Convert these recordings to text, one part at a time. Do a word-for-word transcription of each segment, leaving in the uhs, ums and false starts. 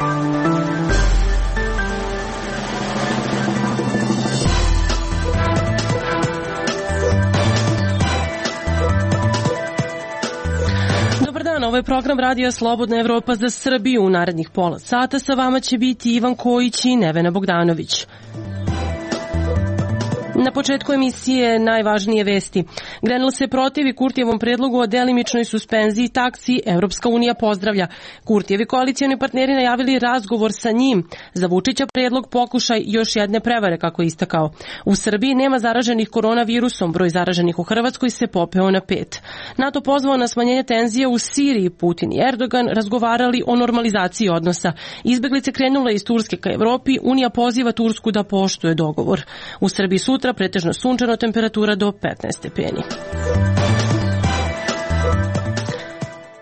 Ovo je program Radija Slobodna Evropa za Srbiju. U narednih pola sata sa vama će biti Ivan Kojić i Nevena Bogdanović. Na početku emisije najvažnije vesti. Grenell se protivi Kurtijevom predlogu o delimičnoj suspenziji taksi. Evropska unija pozdravlja. Kurtijevi koalicioni partneri najavili razgovor sa njim. Za Vučića predlog pokušaj još jedne prevare, kako je istakao. U Srbiji nema zaraženih koronavirusom. Broj zaraženih u Hrvatskoj se popeo na pet. NATO pozvao na smanjenje tenzije u Siriji. Putin i Erdogan razgovarali o normalizaciji odnosa. Izbeglice krenule iz Turske ka Evropi. Unija poziva Tursku da poštuje dogovor. U Srbiji sutra pretežno sunčano, temperatura do petnaest stepeni.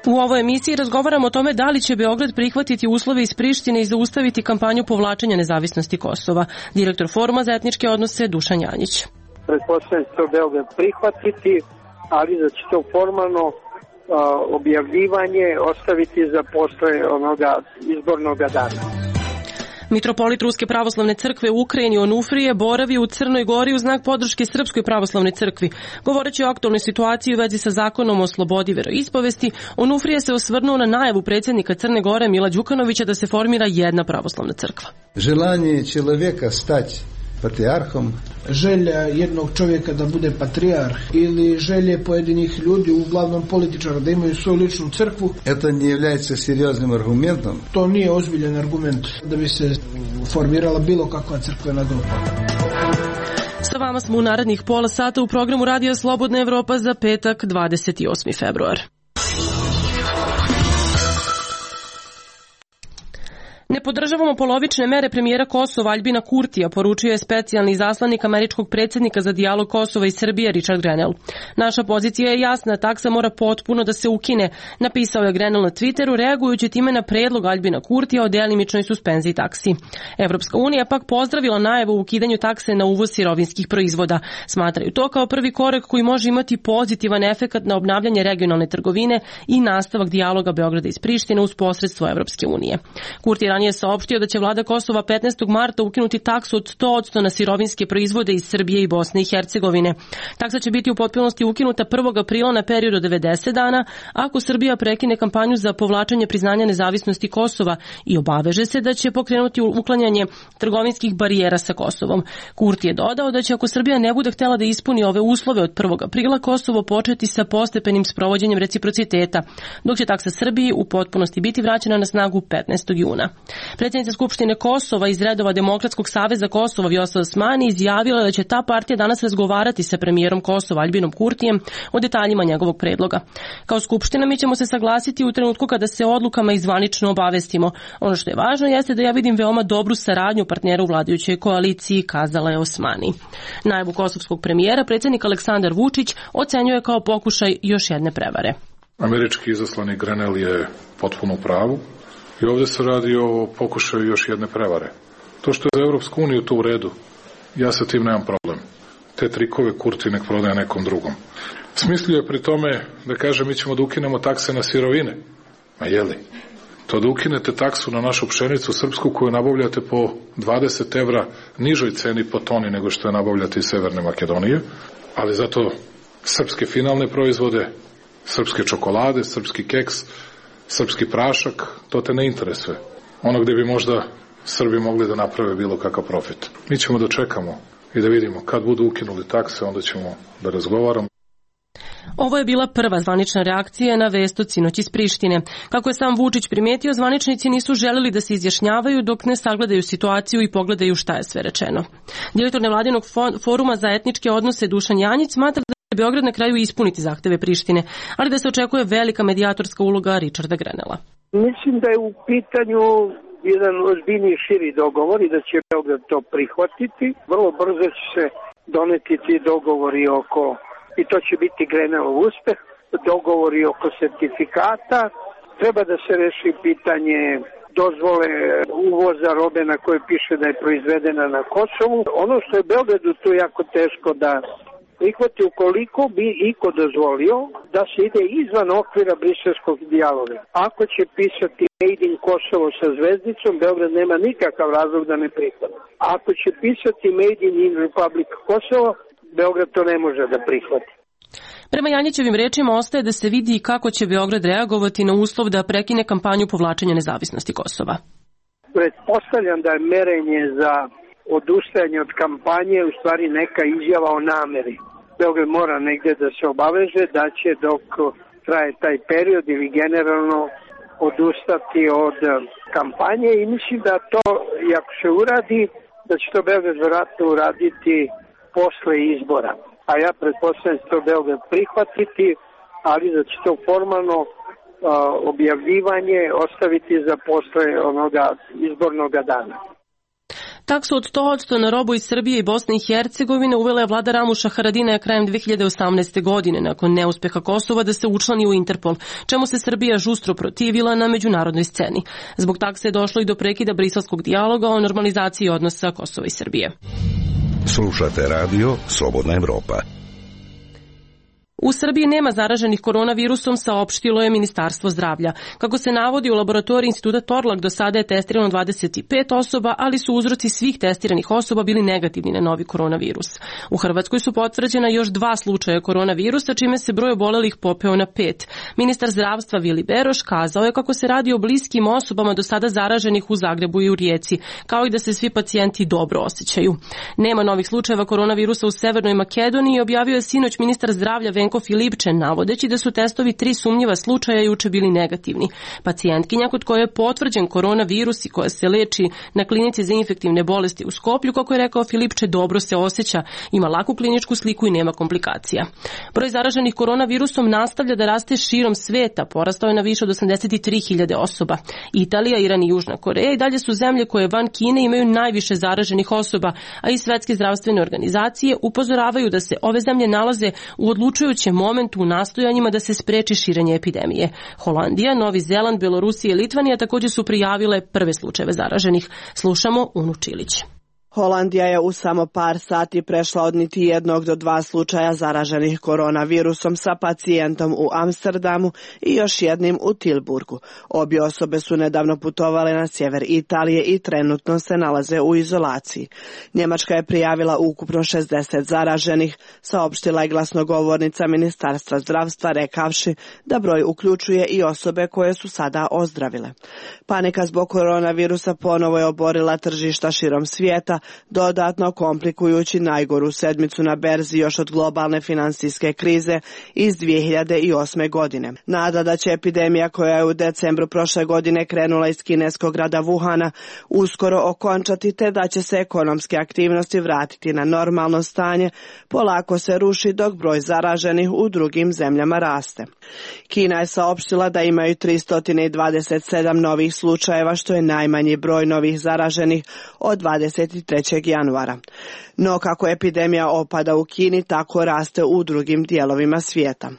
U ovoj emisiji razgovaramo o tome da li će Beograd prihvatiti uslove iz Prištine i zaustaviti kampanju povlačenja nezavisnosti Kosova. Direktor Foruma za etničke odnose Dušan Janjić. Pretpostavljam će to Beograd prihvatiti, ali da će to formalno uh, objavljivanje ostaviti za posle onoga izbornog dana. Mitropolit Ruske pravoslavne crkve u Ukrajini Onufrije boravi u Crnoj Gori u znak podrške Srpskoj pravoslavnoj crkvi. Govoreći o aktualnoj situaciji u vezi sa zakonom o slobodi veroispovesti, Onufrije se osvrnuo na najavu predsjednika Crne Gore Mila Đukanovića da se formira jedna pravoslavna crkva. Želanje čovjeka stać patrijarhom, želja jednog čovjeka da bude patrijarh ili želje pojedinih ljudi, uglavnom političara, da imaju svoju ličnu crkvu. To ne является серьезным аргументом. To nije ozbiljan argument da bi se formirala bilo kakva crkvena grupa. Sa vama smo u narednih pola sata u programu Radija Slobodna Evropa za petak dvadeset osmi februar. Ne podržavamo polovične mere premijera Kosova Aljbina Kurtija, poručio je specijalni izaslanik američkog predsjednika za dijalog Kosova i Srbije Richard Grenell. Naša pozicija je jasna, taksa mora potpuno da se ukine, napisao je Grenell na Twitteru, reagujući time na predlog Aljbina Kurtija o delimičnoj suspenziji taksi. Evropska unija pak pozdravila najavu o ukidanju takse na uvoz sirovinskih proizvoda. Smatraju to kao prvi korak koji može imati pozitivan efekat na obnavljanje regionalne trgovine i nastavak dijaloga Beograda iz Prištine uz posredstvo Evropske unije. Kurti je saopštio da će vlada Kosova petnaestog marta ukinuti taksu od sto posto na sirovinske proizvode iz Srbije i Bosne i Hercegovine. Taksa će biti u potpunosti ukinuta prvog aprila na period od devedeset dana ako Srbija prekine kampanju za povlačenje priznanja nezavisnosti Kosova i obaveže se da će pokrenuti uklanjanje trgovinskih barijera sa Kosovom. Kurti je dodao da će ako Srbija ne bude htjela da ispuni ove uslove od prvog aprila Kosovo početi sa postepenim sprovođenjem reciprociteta, dok će taksa Srbiji u potpunosti biti vraćena na snagu petnaestog juna. Predsjednica Skupštine Kosova iz redova Demokratskog saveza Kosova Vjosa Osmani izjavila da će ta partija danas razgovarati sa premijerom Kosova Aljbinom Kurtijem o detaljima njegovog predloga. Kao Skupština mi ćemo se saglasiti u trenutku kada se odlukama i zvanično obavestimo. Ono što je važno jeste da ja vidim veoma dobru saradnju partnera u vladajućoj koaliciji, kazala je Osmani. Najavu kosovskog premijera predsjednik Aleksandar Vučić ocenjuje kao pokušaj još jedne prevare. Američki izaslanik Grenell je potpuno u pravu. I ovdje se radi o pokušaju još jedne prevare. To što je za Evropsku uniju to u redu, ja sa tim nemam problem. Te trikove Kurti nek prodaje nekom drugom. Smislio je pri tome da kaže mi ćemo da ukinemo takse na sirovine. Ma jeli? To da ukinete taksu na našu pšenicu srpsku koju nabavljate po dvadeset evra nižoj ceni po toni nego što je nabavljate iz Severne Makedonije, ali zato srpske finalne proizvode, srpske čokolade, srpski keks, srpski prašak, to te ne interesuje. Ono gdje bi možda Srbi mogli da naprave bilo kakav profit. Mi ćemo da čekamo i da vidimo kad budu ukinuli takse, onda ćemo da razgovaramo. Ovo je bila prva zvanična reakcija na vest od sinoć iz Prištine. Kako je sam Vučić primijetio, zvaničnici nisu želeli da se izjašnjavaju dok ne sagledaju situaciju i pogledaju šta je sve rečeno. Direktor nevladinog foruma za etničke odnose Dušan Janjić smatra da će Beograd na kraju ispuniti zahteve Prištine, ali da se očekuje velika medijatorska uloga Richarda Grenella. Mislim da je u pitanju jedan ozbiljniji širi dogovor i da će Beograd to prihvatiti. Vrlo brzo će se doneti ti dogovori oko, i to će biti Grenellov uspeh, dogovori oko sertifikata. Treba da se reši pitanje dozvole uvoza robe na kojoj piše da je proizvedena na Kosovu. Ono što je Beogradu tu jako teško da prihvati ukoliko bi iko dozvolio da se ide izvan okvira briselskog dijaloga. Ako će pisati Made in Kosovo sa zvezdicom, Beograd nema nikakav razlog da ne prihvati. Ako će pisati Made in Republic Kosovo, Beograd to ne može da prihvati. Prema Janjićevim rečima ostaje da se vidi kako će Beograd reagovati na uslov da prekine kampanju povlačenja nezavisnosti Kosova. Pretpostavljam da je merenje za odustajanje od kampanje u stvari neka izjava o nameri. Beograd mora negde da se obaveže da će dok traje taj period ili generalno odustati od kampanje i mislim da to, i ako se uradi, da će to Beograd vjerojatno uraditi posle izbora. A ja pretpostavljam da će to Beograd prihvatiti, ali da će to formalno uh, objavljivanje ostaviti za posle onoga izbornog dana. Taksu od sto posto na robu iz Srbije i Bosne i Hercegovine uvela je vlada Ramuša Haradinaja krajem dve hiljade osamnaeste. godine nakon neuspeha Kosova da se učlani u Interpol, čemu se Srbija žustro protivila na međunarodnoj sceni. Zbog takse je došlo i do prekida briselskog dijaloga o normalizaciji odnosa Kosova i Srbije. Slušate radio Slobodna Evropa. U Srbiji nema zaraženih koronavirusom, saopštilo je Ministarstvo zdravlja. Kako se navodi, u laboratoriji Instituta Torlak do sada je testirano dvadeset pet osoba, ali su uzroci svih testiranih osoba bili negativni na novi koronavirus. U Hrvatskoj su potvrđena još dva slučaja koronavirusa, čime se broj obolelih popeo na pet. Ministar zdravstva Vili Beroš kazao je kako se radi o bliskim osobama do sada zaraženih u Zagrebu i u Rijeci, kao i da se svi pacijenti dobro osjećaju. Nema novih slučajeva koronavirusa u Severnoj Makedoniji, objavio je sinoć ministar zdravlja Venko Filipčen, navodeći da su testovi tri sumnjiva slučaja juče bili negativni. Pacijentkinja kod koje je potvrđen koronavirus i koja se leči na klinici za infektivne bolesti u Skoplju, kako je rekao Filipče, dobro se osjeća, ima laku kliničku sliku i nema komplikacija. Broj zaraženih koronavirusom nastavlja da raste širom sveta, porastao je na više od osamdeset tri hiljade osoba. Italija, Iran i Južna Koreja i dalje su zemlje koje van Kine imaju najviše zaraženih osoba, a i svetske zdravstvene organizacije upozoravaju da se ove zemlje nalaze u odlučujućem momentu u nastojanjima da se spreči širenje epidemije. Holandija, Novi Zeland, Belorusija i Litvanija također su prijavile prve slučajeve zaraženih. Slušamo Unu Čilić. Holandija je u samo par sati prešla od niti jednog do dva slučaja zaraženih koronavirusom sa pacijentom u Amsterdamu i još jednim u Tilburgu. Obje osobe su nedavno putovale na sjever Italije i trenutno se nalaze u izolaciji. Njemačka je prijavila ukupno šezdeset zaraženih, saopštila je glasnogovornica Ministarstva zdravstva rekavši da broj uključuje i osobe koje su sada ozdravile. Panika zbog koronavirusa ponovo je oborila tržišta širom svijeta, dodatno komplikujući najgoru sedmicu na berzi još od globalne finansijske krize iz dvije hiljade osme. godine. Nada da će epidemija koja je u decembru prošle godine krenula iz kineskog grada Wuhana uskoro okončati te da će se ekonomske aktivnosti vratiti na normalno stanje, polako se ruši dok broj zaraženih u drugim zemljama raste. Kina je saopštila da imaju tristo dvadeset sedam novih slučajeva, što je najmanji broj novih zaraženih od dvadeset trećeg januara. No kako epidemija opada u Kini, tako raste u drugim dijelovima svijeta.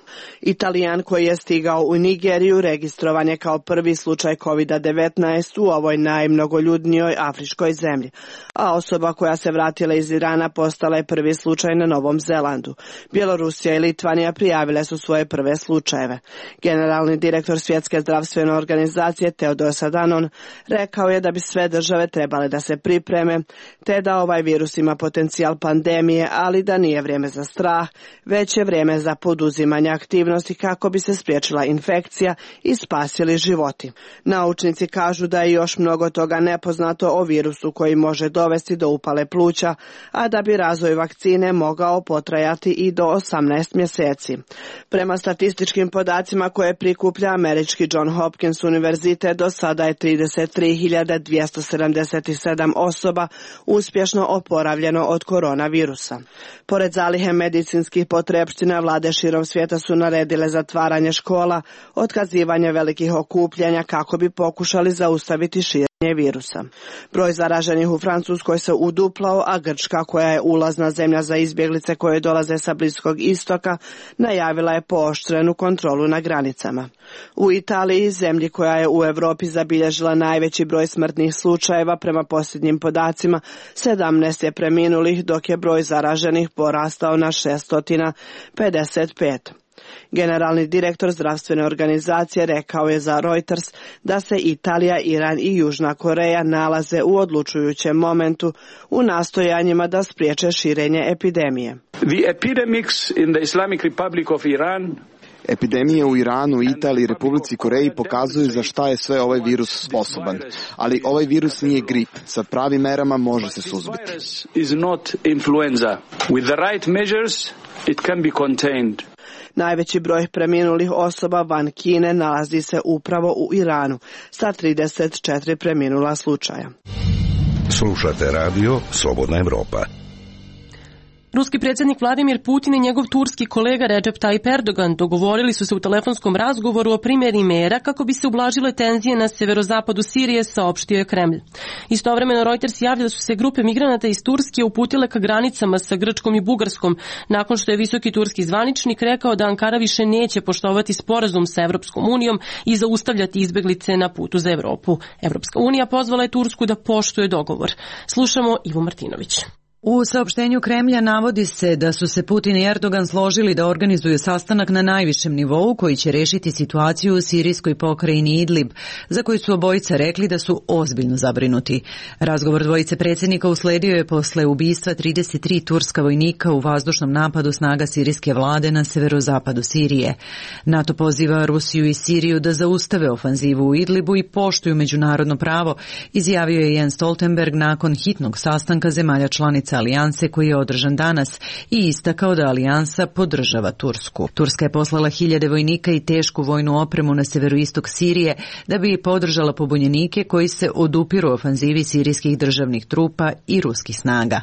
Italijan koji je stigao u Nigeriju registrovan je kao prvi slučaj kovid devetnaest u ovoj najmnogoljudnijoj afričkoj zemlji, a osoba koja se vratila iz Irana postala je prvi slučaj na Novom Zelandu. Bjelorusija i Litvanija prijavile su svoje prve slučajeve. Generalni direktor Svjetske zdravstvene organizacije Teodos Adhanom rekao je da bi sve države trebale da se pripreme, te da ovaj virus ima potencijal pandemije, ali da nije vrijeme za strah, već je vrijeme za poduzimanje aktivnosti kako bi se spriječila infekcija i spasili životi. Naučnici kažu da je još mnogo toga nepoznato o virusu koji može dovesti do upale pluća, a da bi razvoj vakcine mogao potrajati i do osamnaest mjeseci. Prema statističkim podacima koje prikuplja američki John Hopkins univerzitet, do sada je trideset tri hiljade dvjesto sedamdeset sedam osoba uspješno oporavljeno od koronavirusa. Pored zalihe medicinskih potrepština, vlade širom svijeta su naredile zatvaranje škola, otkazivanje velikih okupljanja kako bi pokušali zaustaviti širenje virusa. Broj zaraženih u Francuskoj se uduplao, a Grčka, koja je ulazna zemlja za izbjeglice koje dolaze sa Bliskog istoka, najavila je pooštrenu kontrolu na granicama. U Italiji, zemlji koja je u Europi zabilježila najveći broj smrtnih slučajeva, prema posljednjim podacima, sedamnaest je preminulih, dok je broj zaraženih porastao na šesto pedeset pet. Generalni direktor zdravstvene organizacije rekao je za Reuters da se Italija, Iran i Južna Koreja nalaze u odlučujućem momentu u nastojanjima da spriječe širenje epidemije. The epidemics in the Islamic Republic of Iran Epidemije u Iranu, Italiji i Republici Koreji pokazuju za šta je sve ovaj virus sposoban. Ali ovaj virus nije grip. Sa pravim merama može se suzbiti. Is not influenza. With the right measures, it can be contained. Najveći broj preminulih osoba van Kine nalazi se upravo u Iranu, sa trideset četiri preminula slučaja. Slušate radio Slobodna Evropa. Ruski predsjednik Vladimir Putin i njegov turski kolega Recep Tayyip Erdogan dogovorili su se u telefonskom razgovoru o primjeni mera kako bi se ublažile tenzije na severozapadu Sirije, saopštio je Kremlj. Istovremeno Reuters javlja da su se grupe migranata iz Turske uputile ka granicama sa Grčkom i Bugarskom, nakon što je visoki turski zvaničnik rekao da Ankara više neće poštovati sporazum sa Evropskom unijom i zaustavljati izbeglice na putu za Evropu. Evropska unija pozvala je Tursku da poštuje dogovor. Slušamo Ivu Martinović. U saopštenju Kremlja navodi se da su se Putin i Erdogan složili da organizuju sastanak na najvišem nivou koji će rešiti situaciju u sirijskoj pokrajini Idlib, za koju su obojica rekli da su ozbiljno zabrinuti. Razgovor dvojice predsjednika usledio je posle ubistva trideset tri turska vojnika u vazdušnom napadu snaga sirijske vlade na severozapadu Sirije. NATO poziva Rusiju i Siriju da zaustave ofanzivu u Idlibu i poštuju međunarodno pravo, izjavio je Jens Stoltenberg nakon hitnog sastanka zemalja članica alijanse koji je održan danas i istakao da alijansa podržava Tursku. Turska je poslala hiljade vojnika i tešku vojnu opremu na severoistok Sirije da bi podržala pobunjenike koji se odupiru ofanzivi sirijskih državnih trupa i ruskih snaga.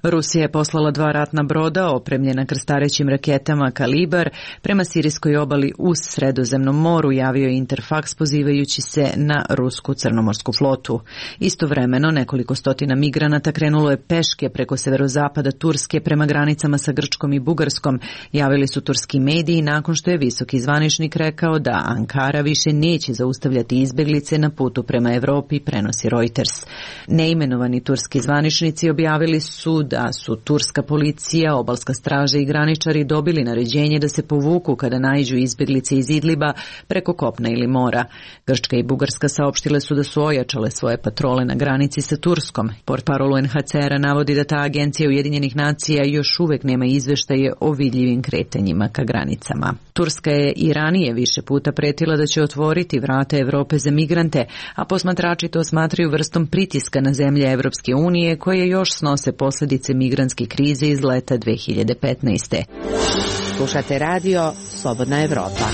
Rusija je poslala dva ratna broda opremljena krstarećim raketama Kalibar prema sirijskoj obali uz Sredozemnom moru, javio je Interfax pozivajući se na rusku crnomorsku flotu. Istovremeno nekoliko stotina migranata krenulo je peške preko severozapada Turske prema granicama sa Grčkom i Bugarskom, javili su turski mediji nakon što je visoki zvaničnik rekao da Ankara više neće zaustavljati izbeglice na putu prema Evropi, prenosi Reuters. Neimenovani turski zvaničnici objavili su da su turska policija, obalska straža i graničari dobili naređenje da se povuku kada naiđu izbeglice iz Idliba preko kopna ili mora. Grčka i Bugarska saopštile su da su ojačale svoje patrole na granici sa Turskom. Portparol U N H C R-a navodi da ta agencija Ujedinjenih nacija još uvek nema izveštaje o vidljivim kretanjima ka granicama. Turska je i ranije više puta pretila da će otvoriti vrata Evrope za migrante, a posmatrači to smatraju vrstom pritiska na zemlje Evropske unije koje još snose posljedice migrantske krize iz leta dve hiljade petnaeste. Slušate radio Slobodna Evropa.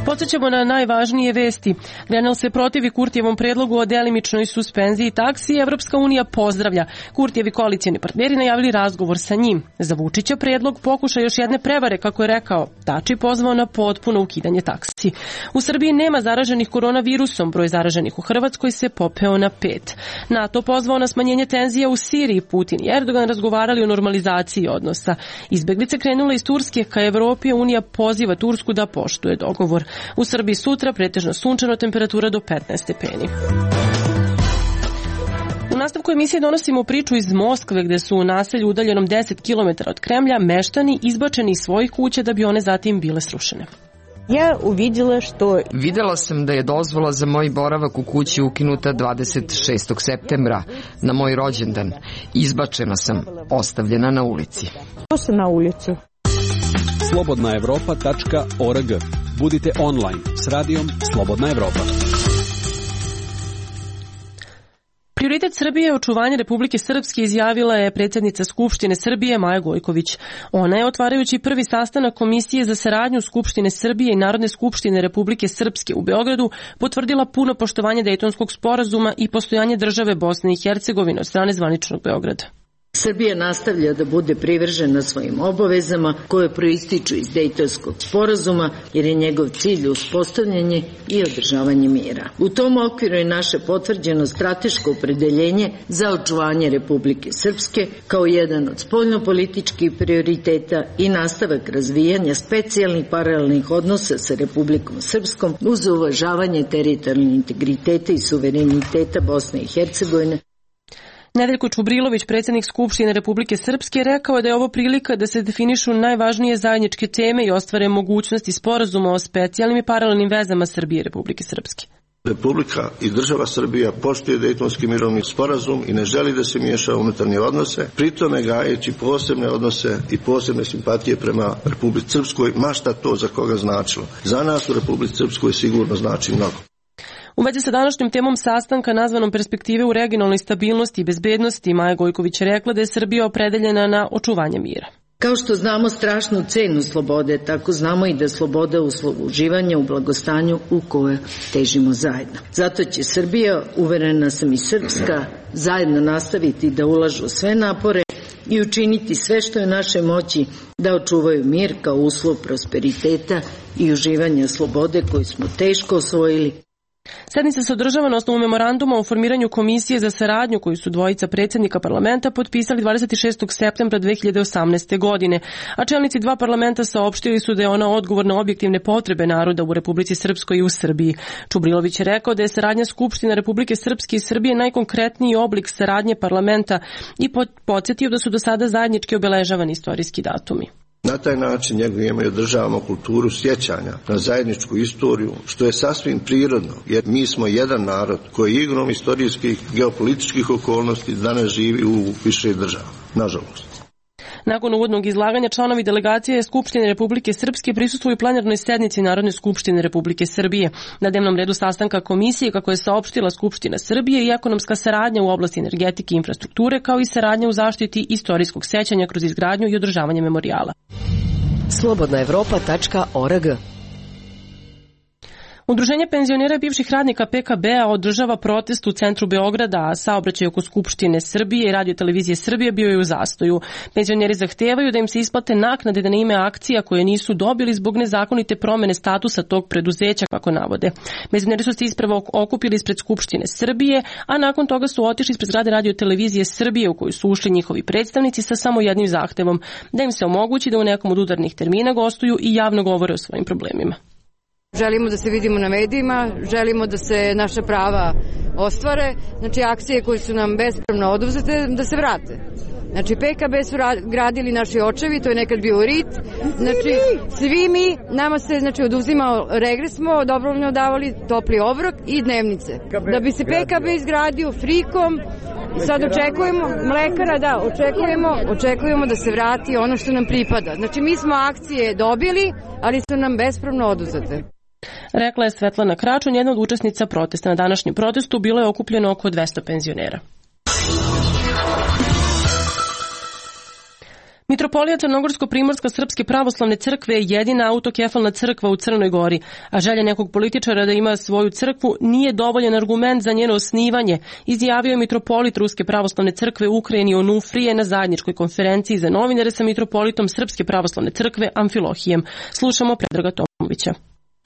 Podsjećamo na najvažnije vesti. Grenell se protivi Kurtijevom predlogu o delimičnoj suspenziji taksi i Evropska unija pozdravlja. Kurtijevi koalicijni partneri najavili razgovor sa njim. Za Vučića predlog pokuša još jedne prevare, kako je rekao. Tači pozvao na potpuno ukidanje taksi. U Srbiji nema zaraženih koronavirusom, broj zaraženih u Hrvatskoj se popeo na pet. NATO pozvao na smanjenje tenzija u Siriji, Putin i Erdogan razgovarali o normalizaciji odnosa. Izbeglice krenule iz Turske ka Evropi, Unija poziva Tursku da poštuje dogovor. U Srbiji sutra pretežno sunčano, temperatura do petnaest stepeni. U nastavku emisije donosimo priču iz Moskve, gde su u naselju udaljenom deset kilometara od Kremlja meštani izbačeni iz svojih kuća da bi one zatim bile srušene. Ja uvidjela što... Videla sam da je dozvola za moj boravak u kući ukinuta dvadeset šestog septembra, na moj rođendan. Izbačena sam, ostavljena na ulici. To sam na ulicu. slobodna evropa tačka org. Budite online s radijom Slobodna Evropa. Prioritet Srbije je očuvanje Republike Srpske, izjavila je predsjednica Skupštine Srbije Maja Gojković. Ona je, otvarajući prvi sastanak Komisije za saradnju Skupštine Srbije i Narodne skupštine Republike Srpske u Beogradu, potvrdila puno poštovanje Dejtonskog sporazuma i postojanje države Bosne i Hercegovine od strane zvaničnog Beograda. Srbija nastavlja da bude privržena svojim obavezama koje proističu iz Dejtonskog sporazuma jer je njegov cilj uspostavljanje i održavanje mira. U tom okviru je naše potvrđeno strateško opredeljenje za očuvanje Republike Srpske kao jedan od spoljnopolitičkih prioriteta i nastavak razvijanja specijalnih paralelnih odnosa sa Republikom Srpskom uz uvažavanje teritorijalnog integriteta i suvereniteta Bosne i Hercegovine. Nedeljko Čubrilović, predsjednik Skupštine Republike Srpske, rekao je da je ovo prilika da se definišu najvažnije zajedničke teme i ostvare mogućnosti sporazuma o specijalnim i paralelnim vezama Srbije i Republike Srpske. Republika i država Srbija poštuje Dejtonski mirovni sporazum i ne želi da se miješa u unutarnje odnose, pritome gajeći posebne odnose i posebne simpatije prema Republici Srpskoj, ma šta to za koga značilo. Za nas u Republici Srpskoj sigurno znači mnogo. U vezi sa današnjom temom sastanka nazvanom perspektive u regionalnoj stabilnosti i bezbednosti, Maja Gojković je rekla da je Srbija opredeljena na očuvanje mira. Kao što znamo strašnu cenu slobode, tako znamo i da sloboda uživanja u blagostanju u koje težimo zajedno. Zato će Srbija, uverena sam i Srpska, zajedno nastaviti da ulažu sve napore i učiniti sve što je u našoj moći da očuvaju mir kao uslov prosperiteta i uživanja slobode koju smo teško osvojili. Sednica se održava na osnovu memoranduma o formiranju komisije za saradnju koju su dvojica predsjednika parlamenta potpisali dvadeset šestog septembra dve hiljade osamnaeste. godine, a čelnici dva parlamenta saopštili su da je ona odgovor na objektivne potrebe naroda u Republici Srpskoj i u Srbiji. Čubrilović je rekao da je saradnja Skupštine Republike Srpske i Srbije najkonkretniji oblik saradnje parlamenta i podsjetio da su do sada zajednički obeležavani istorijski datumi. Na taj način njegujemo i održavamo kulturu sjećanja na zajedničku istoriju, što je sasvim prirodno, jer mi smo jedan narod koji igrom istorijskih geopolitičkih okolnosti danas živi u više država, nažalost. Nakon uvodnog izlaganja članovi delegacije Skupštine Republike Srpske prisustvuju plenarnoj sednici Narodne skupštine Republike Srbije. Na dnevnom redu sastanka komisije, kako je saopštila Skupština Srbije, i ekonomska saradnja u oblasti energetike i infrastrukture, kao i saradnja u zaštiti istorijskog sećanja kroz izgradnju i održavanje memorijala. slobodna evropa tačka org. Udruženje penzionera bivših radnika P K B-a održava protest u centru Beograda, a saobraćaj oko Skupštine Srbije i Radio televizije Srbije bio je u zastoju. Penzioneri zahtevaju da im se isplate naknade na ime akcija koje nisu dobili zbog nezakonite promene statusa tog preduzeća, kako navode. Penzioneri su se ispravo okupili ispred Skupštine Srbije, a nakon toga su otišli ispred zgrade Radio televizije Srbije u koju su ušli njihovi predstavnici sa samo jednim zahtevom, da im se omogući da u nekom od udarnih termina gostuju i javno govore o svojim problemima. Želimo da se vidimo na medijima, želimo da se naša prava ostvare, znači akcije koje su nam bespravno oduzete da se vrate. Znači P K B su gradili naši očevi, to je nekad bio R I T, znači svi mi, nama se znači oduzimao regres, smo dobrovoljno davali topli obrok i dnevnice. Da bi se P K B izgradio frikom, sad očekujemo, mlekara da, očekujemo, očekujemo da se vrati ono što nam pripada. Znači mi smo akcije dobili, ali su nam bespravno oduzete. Rekla je Svetlana Kračun, jedna od učesnica protesta. Na današnjem protestu bilo je okupljeno oko dvesta penzionera. Mitropolija Crnogorsko-Primorska Srpske pravoslavne crkve je jedina autokefalna crkva u Crnoj Gori, a želja nekog političara da ima svoju crkvu nije dovoljan argument za njeno osnivanje, izjavio je mitropolit Ruske pravoslavne crkve u Ukrajini Onufrije na zajedničkoj konferenciji za novinare sa mitropolitom Srpske pravoslavne crkve Amfilohijem. Slušamo Predraga Tomovića.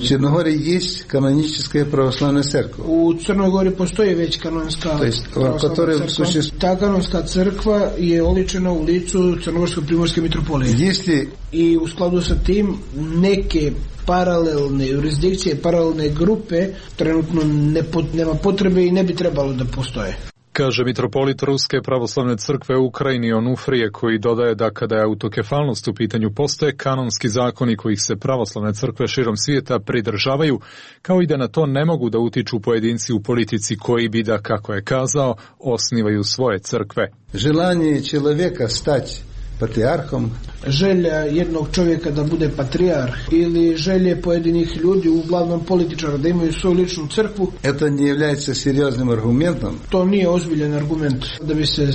U Crnogori jest kanonička pravoslavna crkva. U Crnoj Gori postoji već kanonska pravoslavna crkva. Ta kanonska crkva je oličena u licu Crnogorsko-Primorske mitropolije. Jeste... I u skladu sa tim neke paralelne jurisdikcije, paralelne grupe trenutno ne pot, nema potrebe i ne bi trebalo da postoje. Kaže mitropolit Ruske pravoslavne crkve u Ukrajini Onufrije, koji dodaje da kada je autokefalnost u pitanju postoje kanonski zakoni kojih se pravoslavne crkve širom svijeta pridržavaju, kao i da na to ne mogu da utiču pojedinci u politici koji bi da, kako je kazao, osnivaju svoje crkve. Želanje čovjeka stati patrijarhom. Želja jednog čovjeka da bude patrijarh ili želje pojedinih ljudi, uglavnom političara, da imaju svoju ličnu crkvu. Это не является серьезным аргументом. To nije ozbiljan argument da bi se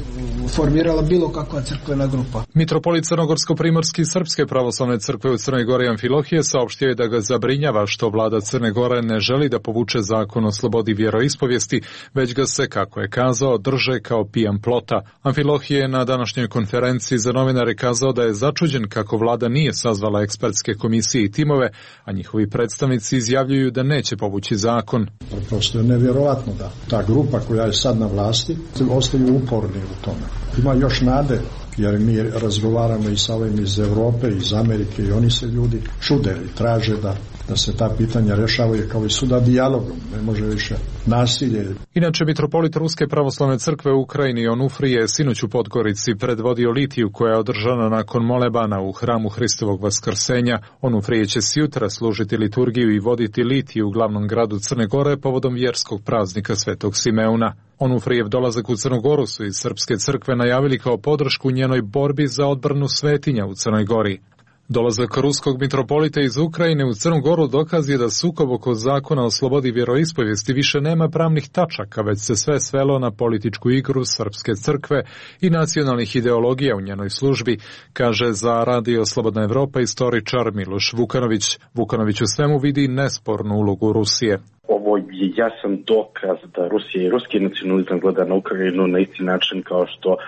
formirala bilo kakva crkvena grupa. Mitropolit Crnogorsko-primorski Srpske pravoslavne crkve u Crnoj Gori Amfilohije saopštio je da ga zabrinjava što vlada Crne Gore ne želi da povuče zakon o slobodi vjeroispovijesti, već ga se, kako je kazao, drže kao pijan plota. Amfilohije je na današnjoj konferenciji za novinare kazao da je začuđen kako vlada nije sazvala ekspertske komisije i timove, a njihovi predstavnici izjavljuju da neće povući zakon. Prosto je nevjerovatno da ta grupa koja je sad na vlasti ostaju uporni u tome. Ima još nade, jer mi razgovaramo i sa ovim iz Europe, iz Amerike i oni se ljudi čude i traže da da se ta pitanja rešavaju kao i suda dijalogom, ne može više nasilje. Inače, mitropolit Ruske pravoslavne crkve u Ukrajini Onufrije je sinoć u Podgorici predvodio litiju koja je održana nakon molebana u hramu Hristovog vaskrsenja. Onufrije će sjutra služiti liturgiju i voditi litiju u glavnom gradu Crne Gore povodom vjerskog praznika Svetog Simeuna. Onufrijev dolazak u Crnu Goru su iz Srpske crkve najavili kao podršku njenoj borbi za odbranu svetinja u Crnoj Gori. Dolazak ruskog mitropolita iz Ukrajine u Crnu Goru dokaz je da sukob oko zakona o slobodi vjeroispovijesti više nema pravnih tačaka, već se sve svelo na političku igru Srpske crkve i nacionalnih ideologija u njenoj službi, kaže za Radio Slobodna Evropa istoričar Miloš Vukanović. Vukanović u svemu vidi nespornu ulogu Rusije. Ovo je jasan dokaz da Rusija i ruski nacionalizam gleda na Ukrajinu na isti način kao što uh,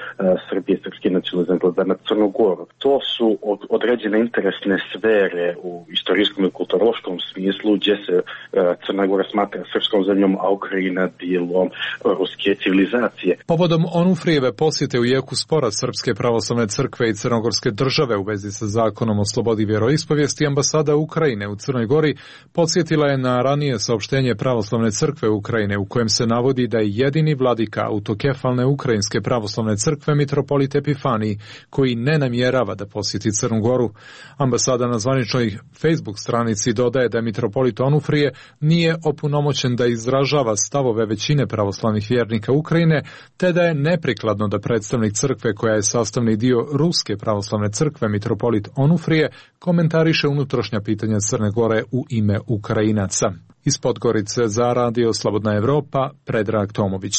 Srbija i srpski nacionalizam gleda na Crnu Goru. To su od, određene interesne sfere u istorijskom i kulturološkom smislu gdje se uh, Crna Gora smatra srpskom zemljom, a Ukrajina dijelom uh, ruske civilizacije. Povodom Onufrijeve posjete u jeku spora Srpske pravoslavne crkve i Crnogorske države u vezi sa zakonom o slobodi vjeroispovijesti, ambasada Ukrajine u Crnoj Gori podsjetila je na ranije saopštenje Pravoslavne crkve Ukrajine u kojem se navodi da je jedini vladika autokefalne Ukrajinske pravoslavne crkve mitropolit Epifaniji, koji ne namjerava da posjeti Crnu Goru. Ambasada na zvaničnoj Facebook stranici dodaje da mitropolit Onufrije nije opunomoćen da izražava stavove većine pravoslavnih vjernika Ukrajine, te da je neprikladno da predstavnik crkve koja je sastavni dio Ruske pravoslavne crkve mitropolit Onufrije komentariše unutrašnja pitanja Crne Gore u ime Ukrajinaca. Iz Podgorice za Radio Slobodna Evropa, Predrag Tomović.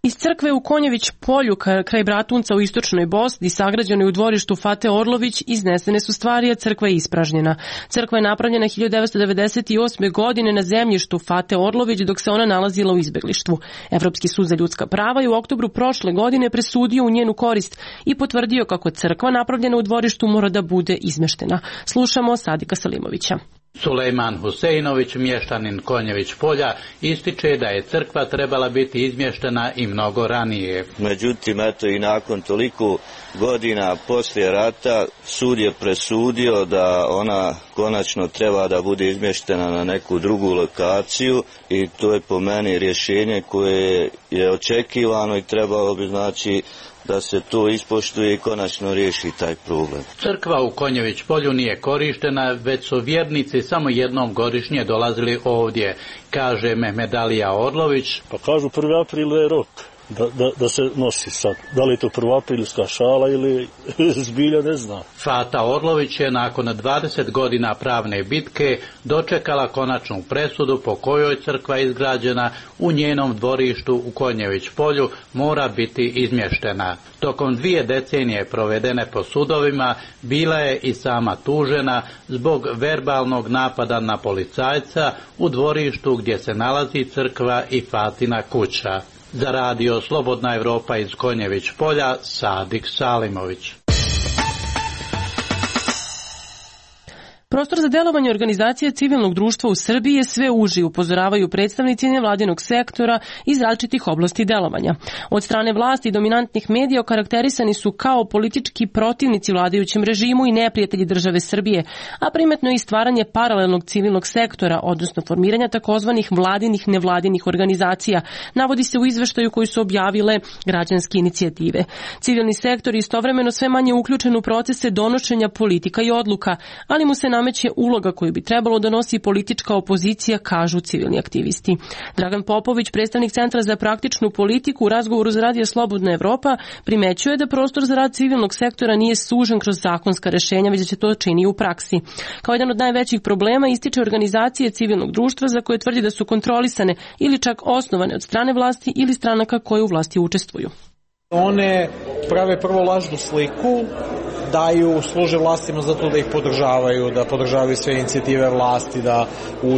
Iz crkve u Konjević polju kraj Bratunca u istočnoj Bosni, sagrađenoj u dvorištu Fate Orlović, iznesene su stvari, a crkva je ispražnjena. Crkva je napravljena hiljadu devetsto devedeset osme. godine na zemljištu Fate Orlović, dok se ona nalazila u izbeglištvu. Evropski sud za ljudska prava je u oktobru prošle godine presudio u njenu korist i potvrdio kako crkva napravljena u dvorištu mora da bude izmeštena. Slušamo Sadika Salimovića. Sulejman Huseinović, mještanin Konjević polja, ističe da je crkva trebala biti izmještena i mnogo ranije. Međutim, eto i nakon toliko godina poslije rata sud je presudio da ona konačno treba da bude izmještena na neku drugu lokaciju i to je po meni rješenje koje je očekivano i trebalo bi znači da se to ispoštuje i konačno riješi taj problem. Crkva u Konjević polju nije korištena, već su vjernici samo jednom godišnje dolazili ovdje, kaže Mehmedalija Orlović. Pa kažu prvi april je rok da, da, da se nosi sad. Da li je to prvoaprilska šala ili zbilja, ne znam. Fata Orlović je nakon dvadeset godina pravne bitke dočekala konačnu presudu po kojoj crkva izgrađena u njenom dvorištu u Konjević polju mora biti izmještena. Tokom dvije decenije provedene po sudovima bila je i sama tužena zbog verbalnog napada na policajca u dvorištu gdje se nalazi crkva i Fatina kuća. Za Radio Slobodna Evropa iz Konjević polja, Sadik Salimović. Prostor za delovanje organizacije civilnog društva u Srbiji je sve uži, upozoravaju predstavnici nevladinog sektora iz različitih oblasti delovanja. Od strane vlasti i dominantnih medija okarakterisani su kao politički protivnici vladajućem režimu i neprijatelji države Srbije, a primetno je i stvaranje paralelnog civilnog sektora, odnosno formiranja takozvanih vladinih nevladinih organizacija, navodi se u izveštaju koji su objavile građanske inicijative. Civilni sektor je istovremeno sve manje uključen u procese donošenja politika i odluka, ali mu se nameće nameće uloga koju bi trebalo da nosi politička opozicija, kažu civilni aktivisti. Dragan Popović, predstavnik Centra za praktičnu politiku, u razgovoru za Radio Slobodna Evropa primećuje da prostor za rad civilnog sektora nije sužen kroz zakonska rešenja, već da se to čini u praksi. Kao jedan od najvećih problema ističe organizacije civilnog društva za koje tvrdi da su kontrolisane ili čak osnovane od strane vlasti ili stranaka koje u vlasti učestvuju. One prave prvo lažnu sliku, daju, služe vlastima zato da ih podržavaju, da podržavaju sve inicijative vlasti, da u,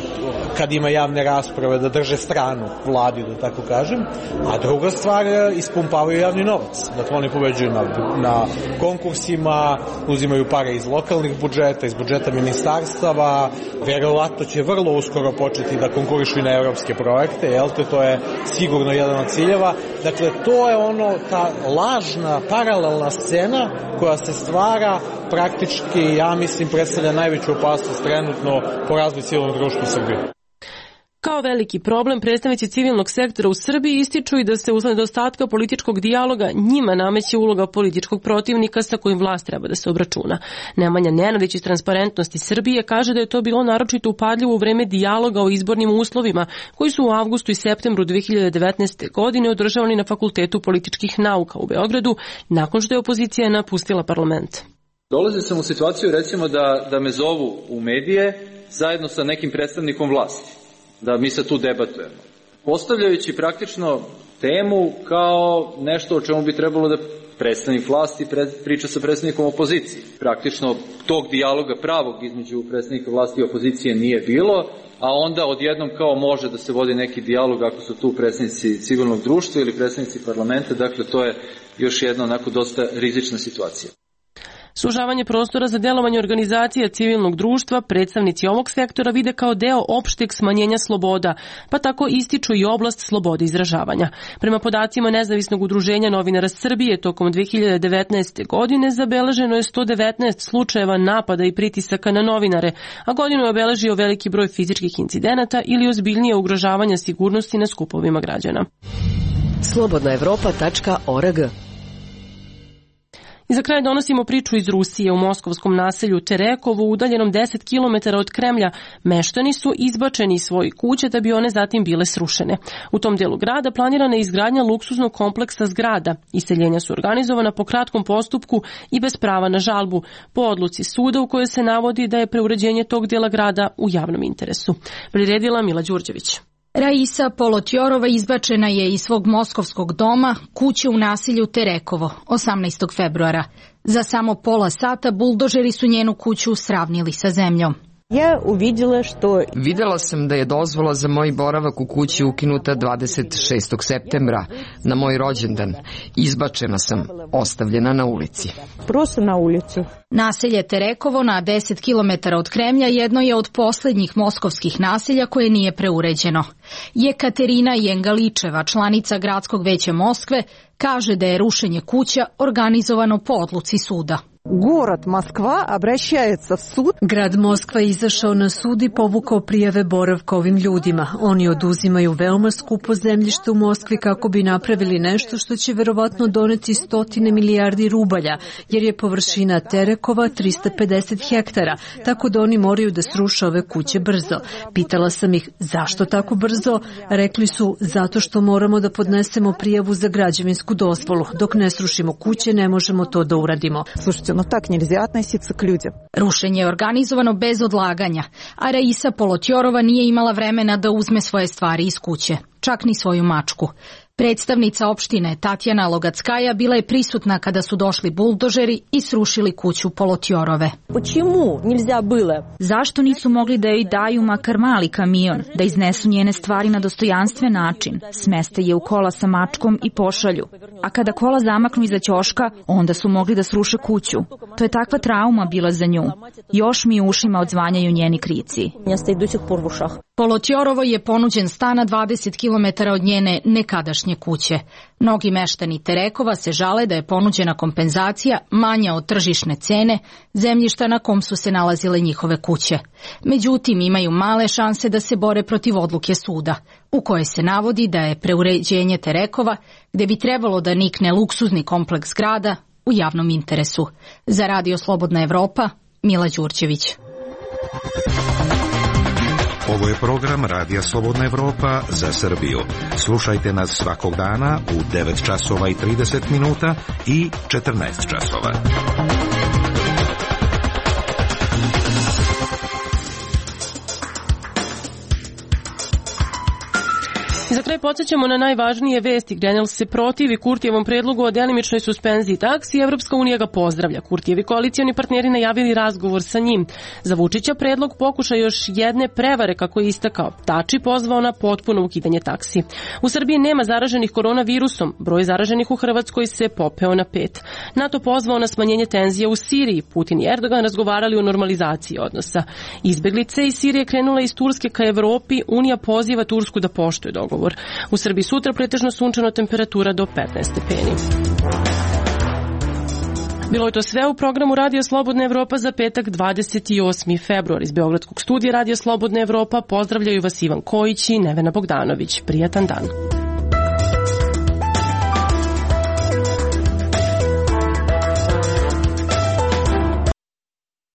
kad ima javne rasprave da drže stranu vladi, da tako kažem. A druga stvar, ispumpavaju javni novac. Dakle, oni pobeđuju na, na konkursima, uzimaju pare iz lokalnih budžeta, iz budžeta ministarstava, verovatno će vrlo uskoro početi da konkurišu i na evropske projekte, jel te, to je sigurno jedan od ciljeva. Dakle, to je ono, ta lažna, paralelna scena koja se stvara, praktički, ja mislim, predstavlja najveću opasnost trenutno po razvoju civilnog društva u Srbiji. Kao veliki problem, predstavnici civilnog sektora u Srbiji ističu i da se usled nedostatka političkog dijaloga njima nameće uloga političkog protivnika sa kojim vlast treba da se obračuna. Nemanja Nenadić iz Transparentnosti Srbije kaže da je to bilo naročito upadljivo u vreme dijaloga o izbornim uslovima koji su u avgustu i septembru dve hiljade devetnaeste. godine održavani na Fakultetu političkih nauka u Beogradu nakon što je opozicija napustila parlament. Dolazio sam u situaciju, recimo, da, da me zovu u medije zajedno sa nekim predstavnikom vlasti, da mi se tu debatujemo, postavljajući praktično temu kao nešto o čemu bi trebalo da predstavnik vlasti priča sa predstavnikom opozicije. Praktično tog dijaloga pravog između predstavnika vlasti i opozicije nije bilo, a onda odjednom kao može da se vodi neki dijalog ako su tu predstavnici civilnog društva ili predstavnici parlamenta, dakle to je još jedna onako dosta rizična situacija. Sužavanje prostora za delovanje organizacija civilnog društva predstavnici ovog sektora vide kao deo opšteg smanjenja sloboda, pa tako ističu i oblast slobode izražavanja. Prema podacima Nezavisnog udruženja novinara Srbije, tokom dve hiljade devetnaeste. godine zabeleženo je sto devetnaest slučajeva napada i pritisaka na novinare, a godinu je obeležio veliki broj fizičkih incidenata ili ozbiljnije ugrožavanja sigurnosti na skupovima građana. slobodna evropa tačka org. I za kraj donosimo priču iz Rusije. U moskovskom naselju Terekovo, udaljenom deset kilometara od Kremlja, meštani su izbačeni iz svojih kuća da bi one zatim bile srušene. U tom delu grada planirana je izgradnja luksuznog kompleksa zgrada. Iseljenja su organizovana po kratkom postupku i bez prava na žalbu, po odluci suda u kojoj se navodi da je preuređenje tog dela grada u javnom interesu. Priredila Mila Đurđević. Raisa Polotjorova izbačena je iz svog moskovskog doma, kuće u naselju Terekovo, osamnaestog februara. Za samo pola sata buldožeri su njenu kuću sravnili sa zemljom. Ja uvidjela što... Videla sam da je dozvola za moj boravak u kući ukinuta dvadeset šestog septembra, na moj rođendan. Izbačena sam, ostavljena na ulici. Prosto na ulicu. Naselje Terekovo na deset kilometara od Kremlja jedno je od poslednjih moskovskih naselja koje nije preuređeno. Jekaterina Jengaličeva, članica Gradskog veća Moskve, kaže da je rušenje kuća organizovano po odluci suda. Город Москва обращается в суд. Grad Moskva je izašao na sud i povukao prijave boravka ovim ljudima. Oni oduzimaju veoma skupo zemljište u Moskvi kako bi napravili nešto što će verovatno doneti stotine milijardi rubalja, jer je površina Terekova trista pedeset hektara, tako da oni moraju da sruše ove kuće brzo. Pitala sam ih zašto tako brzo? Rekli su zato što moramo da podnesemo prijavu za građevinsku dozvolu. Dok ne srušimo kuće ne možemo to da uradimo. Слушайте, но так нельзя относиться к людям. Rušenje je organizovano bez odlaganja, a Raisa Polotjorova nije imala vremena da uzme svoje stvari iz kuće, čak ni svoju mačku. Predstavnica opštine Tatjana Logackaja bila je prisutna kada su došli buldožeri i srušili kuću Polotjorove. Zašto nisu mogli da joj daju makar mali kamion, da iznesu njene stvari na dostojanstven način, smeste je u kola sa mačkom i pošalju. A kada kola zamaknu iza ćoška, onda su mogli da sruše kuću. To je takva trauma bila za nju. Još mi u ušima odzvanjaju njeni krici. Polotjorovo je ponuđen stan na dvadeset kilometara od njene nekadašnje kuće. Mnogi meštani Terekova se žale da je ponuđena kompenzacija manja od tržišne cene zemljišta na kom su se nalazile njihove kuće. Međutim, imaju male šanse da se bore protiv odluke suda, u kojoj se navodi da je preuređenje Terekova, gde bi trebalo da nikne luksuzni kompleks zgrada, u javnom interesu. Za Radio Slobodna Evropa, Mila Đurđević. Ovo je program Radija Slobodna Evropa za Srbiju. Slušajte nas svakog dana u devet časova i trideset minuta i četrnaest časova. Za kraj podsjećamo na najvažnije vesti. Grenell se protivi Kurtijevom predlogu o delimičnoj suspenziji taksi i Evropska unija ga pozdravlja. Kurtijevi koalicioni partneri najavili razgovor sa njim. Za Vučića predlog pokuša još jedne prevare, kako je istakao. Tači pozvao na potpuno ukidanje taksi. U Srbiji nema zaraženih koronavirusom. Broj zaraženih u Hrvatskoj se popeo na pet. NATO pozvao na smanjenje tenzija u Siriji. Putin i Erdogan razgovarali o normalizaciji odnosa. Izbeglice iz Sirije krenule iz Turske ka Evropi. Unija poziva Tursku da poštuje dogovor. U Srbiji sutra pretežno sunčano, temperatura do petnaest stepeni. Bilo je to sve u programu Radio Slobodna Evropa za petak dvadeset osmi februar. Iz Beogradskog studija Radio Slobodna Evropa pozdravljaju vas Ivan Kojić i Nevena Bogdanović. Prijatan dan.